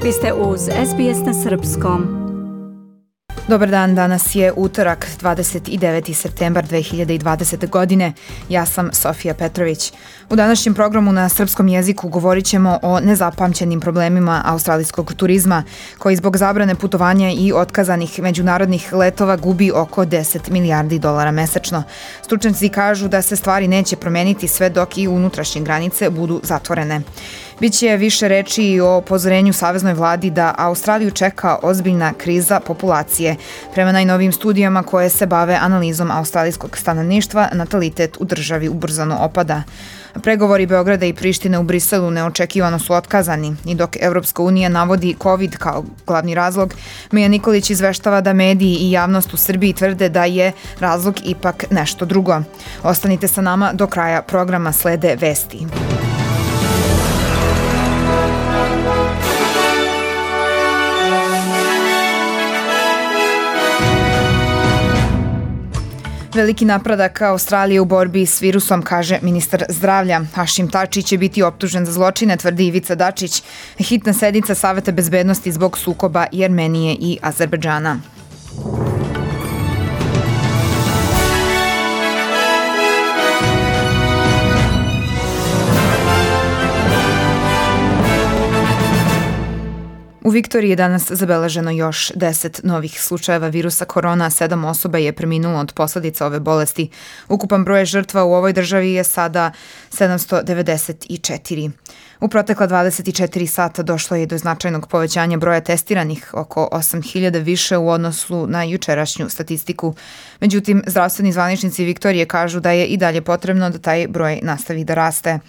Vi ste uz SBS na Srpskom. Dobar dan, danas je utorak, 29. septembar 2020. godine. Ja sam Sofija Petrović. U današnjem programu na srpskom jeziku govorit ćemo o nezapamćenim problemima australijskog turizma, koji zbog zabrane putovanja i otkazanih međunarodnih letova gubi oko 10 milijardi dolara mesečno. Stručnjaci kažu da se stvari neće promeniti sve dok i unutrašnje granice budu zatvorene. Biće više reči i o upozorenju saveznoj vladi da Australiju čeka ozbiljna kriza populacije. Prema najnovijim studijama koje se bave analizom australijskog stanovništva, natalitet u državi ubrzano opada. Pregovori Beograda i Prištine u Briselu neočekivano su otkazani i dok Evropska unija navodi COVID kao glavni razlog, Mija Nikolić izveštava da mediji i javnost u Srbiji tvrde da je razlog ipak nešto drugo. Ostanite sa nama do kraja programa, slede vesti. Veliki napredak Australije u borbi s virusom, kaže ministar zdravlja. Hašim Tači će biti optužen za zločine, tvrdi Ivica Dačić. Hitna sednica Saveta bezbednosti zbog sukoba Jermenije i Azerbejdžana. U Viktoriji je danas zabeleženo još 10 novih slučajeva virusa korona, 7 osoba je preminulo od posledica ove bolesti. Ukupan broj žrtva u ovoj državi je sada 794. U protekla 24 sata došlo je do značajnog povećanja broja testiranih, oko 8.000 više u odnosu na jučerašnju statistiku. Međutim, zdravstveni zvaničnici Viktorije kažu da je i dalje potrebno da taj broj nastavi da raste.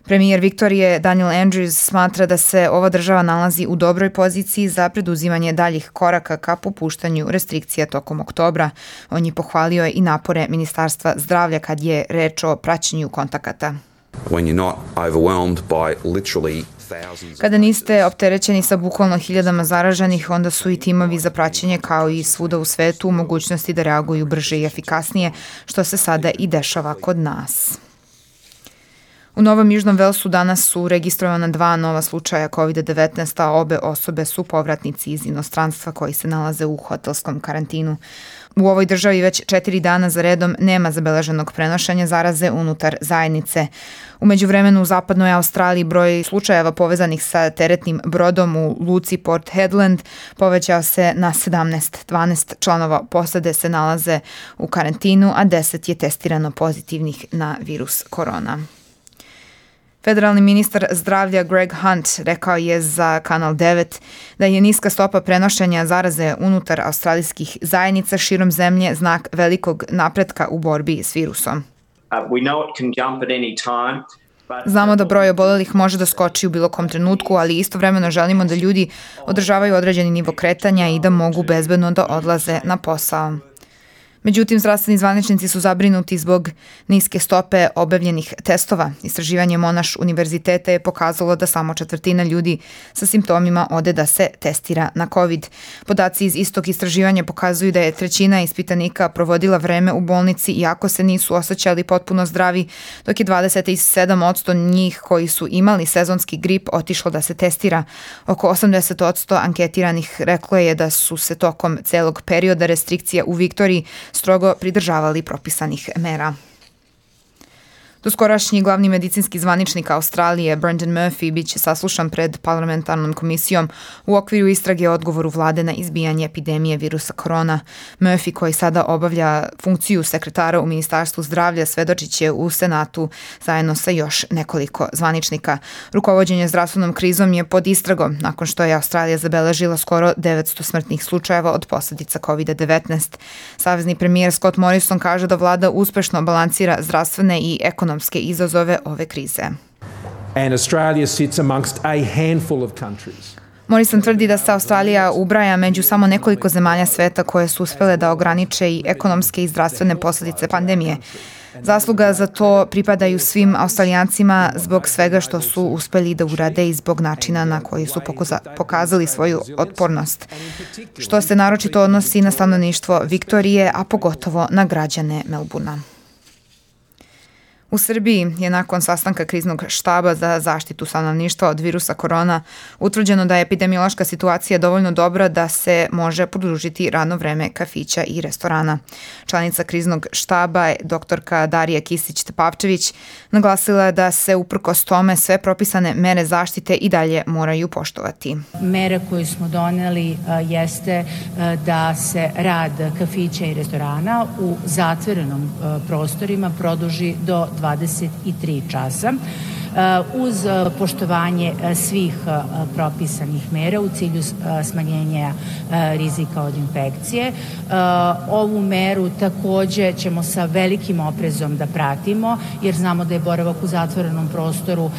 Premijer Viktorije Daniel Andrews smatra da se ova država nalazi u dobroj poziciji za preduzimanje daljih koraka ka popuštanju restrikcija tokom oktobra. On je pohvalio i napore Ministarstva zdravlja kad je reč o praćenju kontakata. Kada niste opterećeni sa bukvalno hiljadama zaraženih, onda su i timovi za praćenje kao i svuda u svetu u mogućnosti da reaguju brže i efikasnije, što se sada i dešava kod nas. U Novom Južnom Velsu danas su registrovana 2 nova slučaja COVID-19, a obe osobe su povratnici iz inostranstva koji se nalaze u hotelskom karantinu. U ovoj državi već 4 dana za redom nema zabeleženog prenošenja zaraze unutar zajednice. U međuvremenu u zapadnoj Australiji broj slučajeva povezanih sa teretnim brodom u luci Port Hedland povećao se na 17. 12 članova posade se nalaze u karantinu, a 10 je testirano pozitivnih na virus korona. Federalni ministar zdravlja Greg Hunt rekao je za Kanal 9 da je niska stopa prenošenja zaraze unutar australijskih zajednica širom zemlje znak velikog napretka u borbi s virusom. Znamo da broj obolelih može da skoči u bilo kom trenutku, ali istovremeno želimo da ljudi održavaju određeni nivo kretanja i da mogu bezbedno da odlaze na posao. Međutim, zdravstveni zvaničnici su zabrinuti zbog niske stope obavljenih testova. Istraživanje Monash univerziteta je pokazalo da samo 1/4 ljudi sa simptomima ode da se testira na COVID. Podaci iz istog istraživanja pokazuju da je 1/3 ispitanika provodila vreme u bolnici iako se nisu osjećali potpuno zdravi, dok je 27% njih koji su imali sezonski grip otišlo da se testira. Oko 80% anketiranih reklo je da su se tokom celog perioda restrikcija u Viktoriji strogo pridržavali propisanih mera. Doskorašnji glavni medicinski zvaničnik Australije, Brendan Murphy, bit će saslušan pred parlamentarnom komisijom u okviru istrage o odgovoru vlade na izbijanje epidemije virusa korona. Murphy, koji sada obavlja funkciju sekretara u Ministarstvu zdravlja, svedočit će u Senatu zajedno sa još nekoliko zvaničnika. Rukovođenje zdravstvenom krizom je pod istragom nakon što je Australija zabeležila skoro 900 smrtnih slučajeva od posledica COVID-19. Savezni premijer Scott Morrison kaže da vlada uspešno balansira zdravstvene i ekonomske izazove ove krize. And Australia sits amongst a handful of countries. Morrison tvrdi da se Australija ubraja među samo nekoliko zemalja sveta koje su uspele da ograniče i ekonomske i zdravstvene posledice pandemije. Zasluga za to pripadaju svim Australijancima zbog svega što su uspeli da urade i zbog načina na koji su pokazali svoju otpornost, što se naročito odnosi na stanovništvo Viktorije, a pogotovo na građane Melbournea. U Srbiji je nakon sastanka kriznog štaba za zaštitu stanovništva od virusa korona utvrđeno da je epidemiološka situacija dovoljno dobra da se može produžiti radno vreme kafića i restorana. Članica kriznog štaba, doktorka Darija Kisić-Tepavčević, naglasila da se uprkos tome sve propisane mere zaštite i dalje moraju poštovati. Mere koju smo doneli jeste da se rad kafića i restorana u zatvorenom prostorima produži do 23 časa uz poštovanje svih propisanih mera u cilju smanjenja rizika od infekcije. Ovu meru takođe ćemo sa velikim oprezom da pratimo, jer znamo da je boravak u zatvorenom prostoru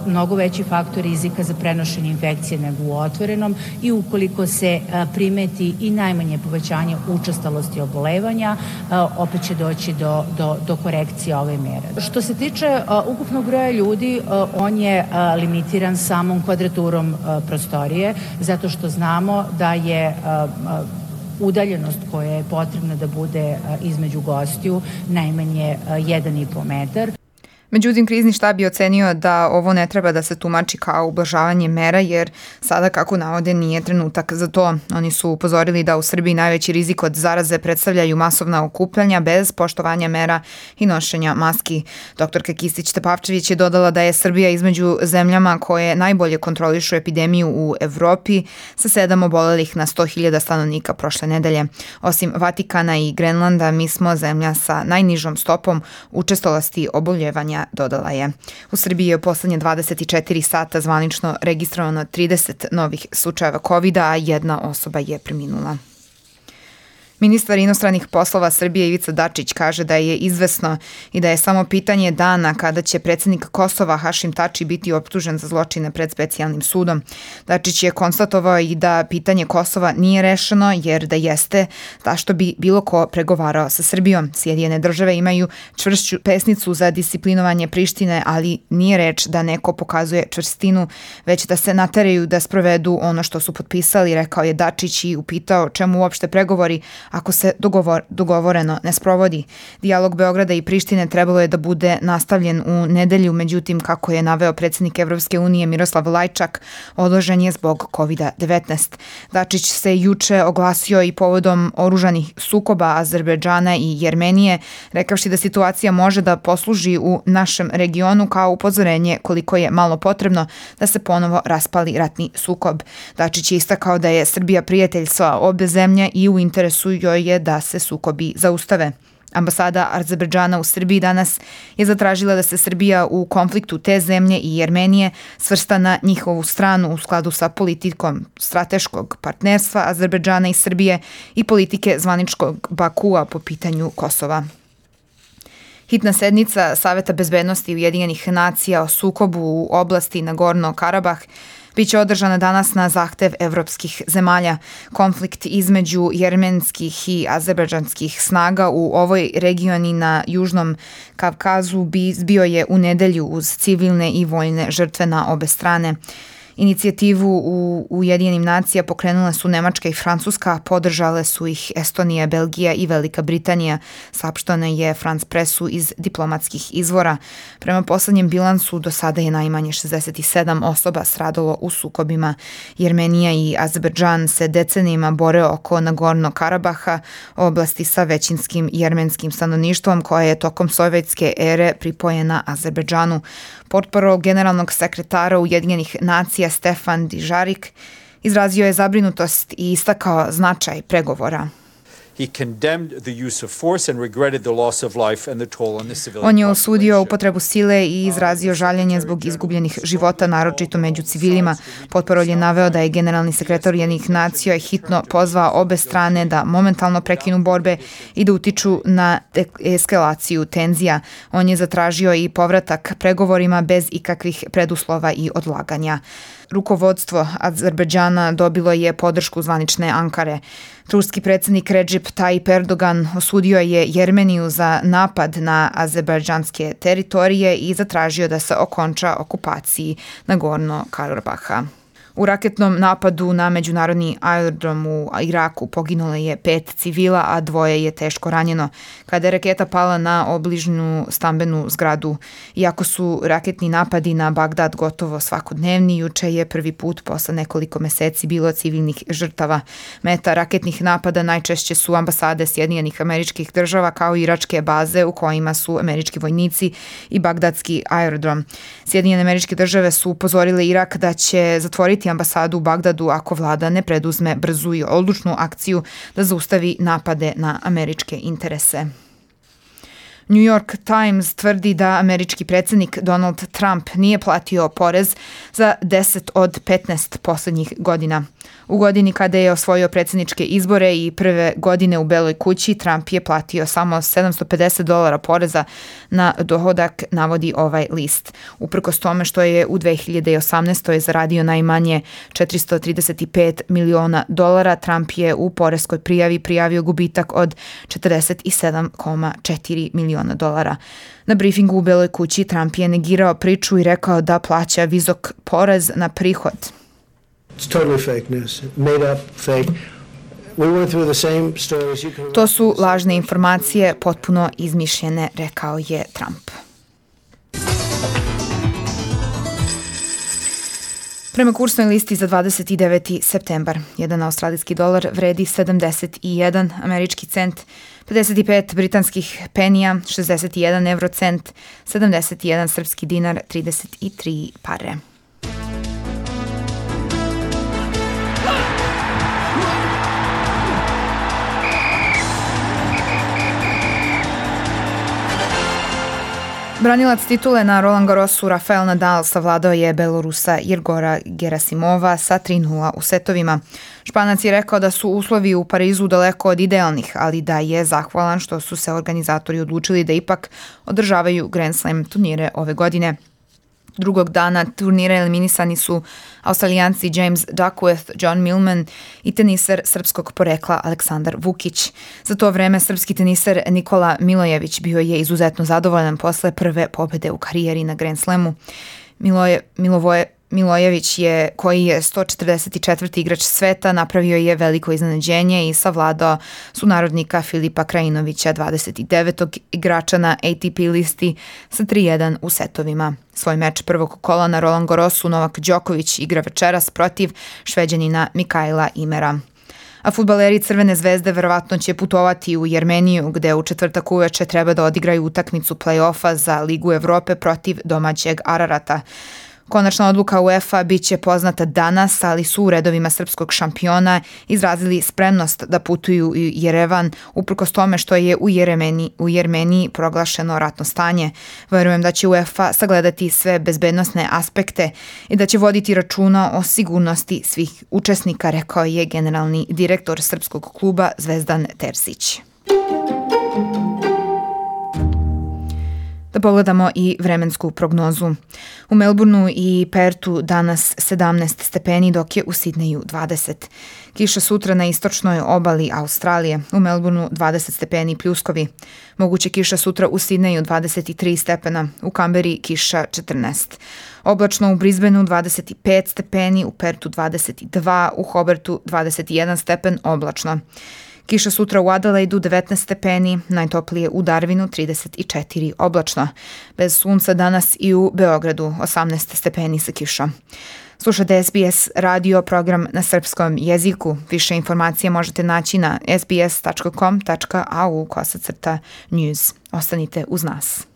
mnogo veći faktor rizika za prenošenje infekcije nego u otvorenom i ukoliko se primeti i najmanje povećanje učestalosti obolevanja, opet će doći do korekcije ove mere. Što se tiče ukupnog broja ljudi, on je limitiran samom kvadraturom prostorije, zato što znamo da je udaljenost koja je potrebna da bude između gostiju najmanje 1,5 metar. Međutim, krizni štab je ocenio da ovo ne treba da se tumači kao ublažavanje mera, jer sada, kako navode, nije trenutak za to. Oni su upozorili da u Srbiji najveći rizik od zaraze predstavljaju masovna okupljanja bez poštovanja mera i nošenja maski. Doktorka Kisić-Tepavčević je dodala da je Srbija između zemljama koje najbolje kontrolišu epidemiju u Evropi sa 7 obolelih na 100.000 stanovnika prošle nedelje. Osim Vatikana i Grenlanda, mi smo zemlja sa najnižom stopom učestalosti oboljevanja, dodala je. U Srbiji je u poslednje 24 sata zvanično registrovano 30 novih slučajeva COVID-a, a 1 osoba je preminula. Ministar inostranih poslova Srbije Ivica Dačić kaže da je izvesno i da je samo pitanje dana kada će predsednik Kosova Hašim Tači biti optužen za zločine pred specijalnim sudom. Dačić je konstatovao i da pitanje Kosova nije rešeno, jer da jeste, zašto bi bilo ko pregovarao sa Srbijom. Sjedinjene države imaju čvršću pesnicu za disciplinovanje Prištine, ali nije reč da neko pokazuje čvrstinu, već da se nateraju da sprovedu ono što su potpisali, rekao je Dačić i upitao čemu uopšte pregovori ako se dogovoreno ne sprovodi. Dijalog Beograda i Prištine trebalo je da bude nastavljen u nedelju, međutim, kako je naveo predsednik Evropske unije Miroslav Lajčak, odložen je zbog COVID-19. Dačić se juče oglasio i povodom oružanih sukoba Azerbejdžana i Jermenije, rekavši da situacija može da posluži u našem regionu kao upozorenje koliko je malo potrebno da se ponovo raspali ratni sukob. Dačić je istakao da je Srbija prijatelj sa obe zemlje i u interesu joj je da se sukobi zaustave. Ambasada Azerbejdžana u Srbiji danas je zatražila da se Srbija u konfliktu te zemlje i Jermenije svrsta na njihovu stranu u skladu sa politikom strateškog partnerstva Azerbejdžana i Srbije i politike zvaničkog Bakua po pitanju Kosova. Hitna sednica Saveta bezbednosti Ujedinjenih nacija o sukobu u oblasti Nagorno-Karabah biće održana danas na zahtev evropskih zemalja. Konflikt između jermenskih i azerbejdžanskih snaga u ovoj regioni na Južnom Kavkazu bio je u nedelju uz civilne i vojne žrtve na obe strane. Inicijativu u Ujedinjenim nacija pokrenule su Nemačka i Francuska, podržale su ih Estonija, Belgija i Velika Britanija, saopšteno je France Pressu iz diplomatskih izvora. Prema poslednjem bilansu, do sada je najmanje 67 osoba stradalo u sukobima. Jermenija i Azerbejdžan se decenijima bore oko Nagorno-Karabaha, oblasti sa većinskim jermenskim stanovništvom koja je tokom sovjetske ere pripojena Azerbejdžanu. Portparol generalnog sekretara Ujedinjenih nacija Stefan Dujarric izrazio je zabrinutost i istakao značaj pregovora. On je osudio upotrebu sile i izrazio žaljenje zbog izgubljenih života, naročito među civilima. Portparol je naveo da je generalni sekretar Ujedinjenih nacija hitno pozvao obe strane da momentalno prekinu borbe i da utiču na eskalaciju tenzija. On je zatražio i povratak pregovorima bez ikakvih preduslova i odlaganja. Rukovodstvo Azerbejdžana dobilo je podršku zvanične Ankare. Turski predsednik Recep Tayyip Erdogan osudio je Jermeniju za napad na azerbejdžanske teritorije i zatražio da se okonča okupaciji Nagorno-Karabaha. U raketnom napadu na međunarodni aerodrom u Iraku poginulo je 5 civila, a 2 je teško ranjeno kada je raketa pala na obližnju stambenu zgradu. Iako su raketni napadi na Bagdad gotovo svakodnevni, juče je prvi put posle nekoliko meseci bilo civilnih žrtava. Meta raketnih napada najčešće su ambasade Sjedinjenih Američkih Država kao i iračke baze u kojima su američki vojnici i bagdadski aerodrom. Sjedinjene Američke Države su upozorile Irak da će zatvoriti ambasadu u Bagdadu ako vlada ne preduzme brzu i odlučnu akciju da zaustavi napade na američke interese. New York Times tvrdi da američki predsjednik Donald Trump nije platio porez za 10 od 15 poslednjih godina. U godini kada je osvojio predsjedničke izbore i prve godine u Beloj kući, Trump je platio samo $750 poreza na dohodak, navodi ovaj list. Uprkos tome što je u 2018. zaradio najmanje $435 miliona, Trump je u poreskoj prijavi prijavio gubitak od $47,4 miliona. Na briefingu u Beloj kući Trump je negirao priču i rekao da plaća visok porez na prihod. To su lažne informacije, potpuno izmišljene, rekao je Trump. Prema kursnoj listi za 29. septembar, jedan australijski dolar vredi 71 američki cent, 55 britanskih penija, 61 eurocent, 71 srpski dinar, 33 pare. Branilac titule na Roland Garrosu Rafael Nadal savladao je Belorusa Igora Gerasimova sa 3:0 u setovima. Španac je rekao da su uslovi u Parizu daleko od idealnih, ali da je zahvalan što su se organizatori odlučili da ipak održavaju Grand Slam turnire ove godine. Drugog dana turnira eliminisani su Australijanci James Duckworth, John Millman i teniser srpskog porekla Aleksandar Vukić. Za to vreme srpski teniser Nikola Milojević bio je izuzetno zadovoljan posle prve pobede u karijeri na Grand Slamu. Milojević koji je 144. igrač sveta, napravio je veliko iznenađenje i savladao sunarodnika Filipa Krajinovića, 29. igrača na ATP listi, sa 3:1 u setovima. Svoj meč prvog kola na Roland Garrosu Novak Đoković igra večeras protiv Šveđanina Mikaela Imera. A fudbaleri Crvene zvezde verovatno će putovati u Jermeniju, gde u četvrtak uveče treba da odigraju utakmicu play-offa za Ligu Evrope protiv domaćeg Ararata. Konačna odluka UEFA biće poznata danas, ali su u redovima srpskog šampiona izrazili spremnost da putuju u Jerevan, uprkos tome što je u Jermeniji proglašeno ratno stanje. Verujem da će UEFA sagledati sve bezbednosne aspekte i da će voditi računa o sigurnosti svih učesnika, rekao je generalni direktor srpskog kluba Zvezdan Terzić. Da pogledamo i vremensku prognozu. U Melbourneu i Pertu danas 17 stepeni, dok je u Sidneju 20. Kiša sutra na istočnoj obali Australije. U Melbourneu 20 stepeni pljuskovi. Moguće kiša sutra u Sidneju 23 stepena. U Kamberi kiša 14. Oblačno u Brisbaneu 25 stepeni, u Pertu 22, u Hobartu 21 stepen oblačno. Kiša sutra u Adelaidu 19 stepeni, najtoplije u Darwinu 34 oblačno. Bez sunca danas i u Beogradu 18 stepeni sa kišom. Slušate SBS radio program na srpskom jeziku. Više informacije možete naći na sbs.com.au/news. Ostanite uz nas.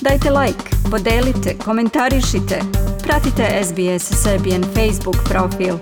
Dajte like, podelite, komentarišite. Pratite SBS Serbian Facebook profil.